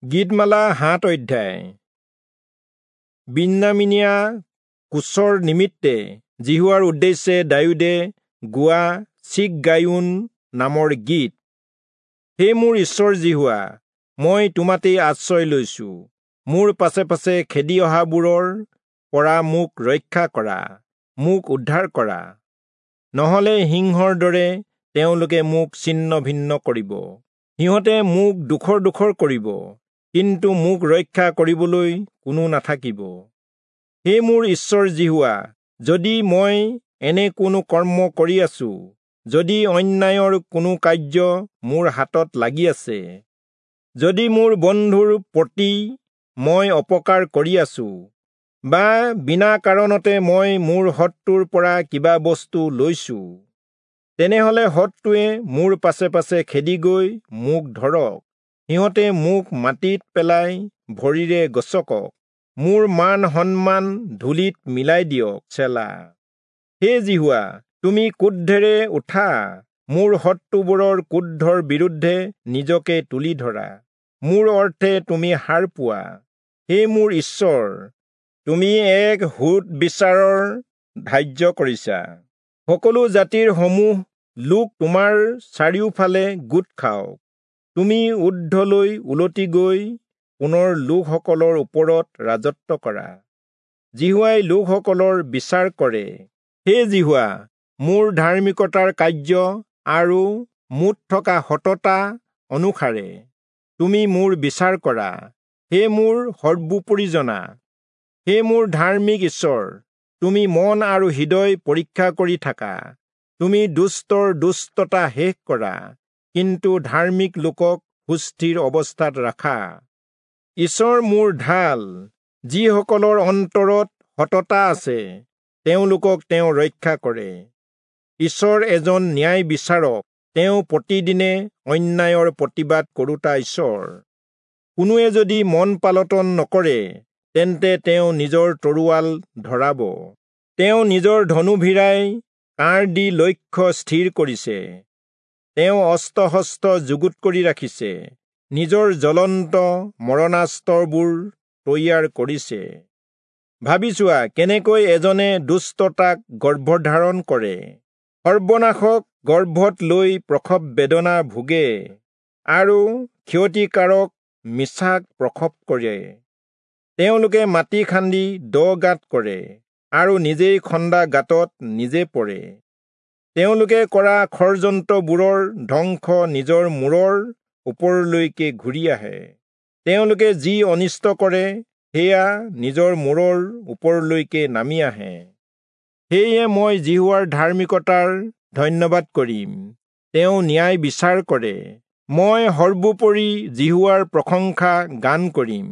গীতমালা 7 অধ্যায়। বিন্যামীনীয়া কোচৰ নিমিত্তে যিহোৱাৰ উদ্দেশ্যে দায়ূদে গোৱা চিগগায়োন নামৰ গীত। হে মোৰ ঈশ্বৰ যিহোৱা, মই তোমাতেই আশ্ৰয় লৈছো। মোৰ পাছে পাছে খেদি অহাবোৰৰ পৰা মোক ৰক্ষা কৰা, মোক উদ্ধাৰ কৰা। নহলে সিংহৰ দৰে তেওঁলোকে মোক ছিন্ন ভিন্ন কৰিব, সিহঁতে মোক দুখৰ দুখৰ কৰিব, কিন্তু মোক ৰক্ষা কৰিবলৈ কোনো নাথাকিব। হে মোৰ ঈশ্বৰ যিহোৱা, যদি মই এনে কোনো কৰ্ম কৰি আছো, যদি অন্যায়ৰ কোনো কাৰ্য মোৰ হাতত লাগি আছে, যদি মোৰ বন্ধুৰ প্ৰতি মই অপকাৰ কৰি আছো, বা বিনা কাৰণতে মই মোৰ শত্ৰুৰ পৰা কিবা বস্তু লৈছো, তেনেহলে শত্ৰুৱে মোৰ পাছে পাছে খেদি গৈ মোক ধৰক, সিহঁতে মোক মাটিত পেলাই ভৰিৰে গছকক, মোৰ মান সন্মান ধূলিত মিলাই দিয়ক। চেলা। হে যিহোৱা, তুমি ক্ৰোধেৰে উঠা, মোৰ শত্ৰুবোৰৰ ক্ৰোধৰ বিৰুদ্ধে নিজকে তুলি ধৰা, মোৰ অৰ্থে তুমি সাৰ পোৱা। হে মোৰ ঈশ্বৰ, তুমি এক সোধ বিচাৰৰ ধাৰ্য কৰিছা, সকলো জাতিৰ সমূহ লোক তোমাৰ চাৰিওফালে গোট খাওক। তুমি ঊৰ্ধ্বলৈ উলটি গৈ পুনৰ লোকসকলৰ ওপৰত ৰাজত্ব কৰা। যিহোৱাই লোকসকলৰ বিচাৰ কৰে। হে যিহোৱা, মোৰ ধাৰ্মিকতাৰ কাৰ্য আৰু মোত থকা সততা অনুসাৰে তুমি মোৰ বিচাৰ কৰা। হে মোৰ সৰ্বোপৰিজনা, হে মোৰ ধাৰ্মিক ঈশ্বৰ, তুমি মন আৰু হৃদয় পৰীক্ষা কৰি থাকা। তুমি দুষ্টৰ দুষ্টতা শেষ কৰা, কিন্তু ধাৰ্মিক লোকক সুস্থিৰ অৱস্থাত ৰাখা। ঈশ্বৰ মোৰ ঢাল, যিসকলৰ অন্তৰত সততা আছে তেওঁলোকক তেওঁ ৰক্ষা কৰে। ঈশ্বৰ এজন ন্যায় বিচাৰক, তেওঁ প্ৰতিদিনে অন্যায়ৰ প্ৰতিবাদ কৰোতা ঈশ্বৰ। কোনোৱে যদি মন পালটন নকৰে, তেন্তে তেওঁ নিজৰ তৰোৱাল ধৰাব। তেওঁ নিজৰ ধনু ভিৰাই কাঁড় দি লক্ষ্য স্থিৰ কৰিছে। তেওঁ অস্ত্ৰ শস্ত্ৰ যুগুত কৰি ৰাখিছে, নিজৰ জ্বলন্ত মৰণাস্ত্ৰবোৰ তৈয়াৰ কৰিছে। ভাবি চোৱা, কেনেকৈ এজনে দুষ্টতাক গৰ্ভধাৰণ কৰে, সৰ্বনাশক গৰ্ভত লৈ প্ৰসৱ বেদনা ভোগে, আৰু ক্ষতিকাৰক মিছাক প্ৰসৱ কৰে। তেওঁলোকে মাটি খান্দি দ গাঁত কৰে, আৰু নিজেই খন্দা গাঁতত নিজে পৰে। তেওঁলোকে কৰা ষড়যন্ত্ৰবোৰৰ ধ্বংস নিজৰ মূৰৰ ওপৰলৈকে ঘূৰি আহে। তেওঁলোকে যি অনিষ্ট কৰে, সেয়া নিজৰ মূৰৰ ওপৰলৈকে নামি আহে। সেয়ে মই যিহোৱাৰ ধাৰ্মিকতাৰ ধন্যবাদ কৰিম, তেওঁ ন্যায় বিচাৰ কৰে। মই সৰ্বোপৰি যিহোৱাৰ প্ৰশংসা গান কৰিম।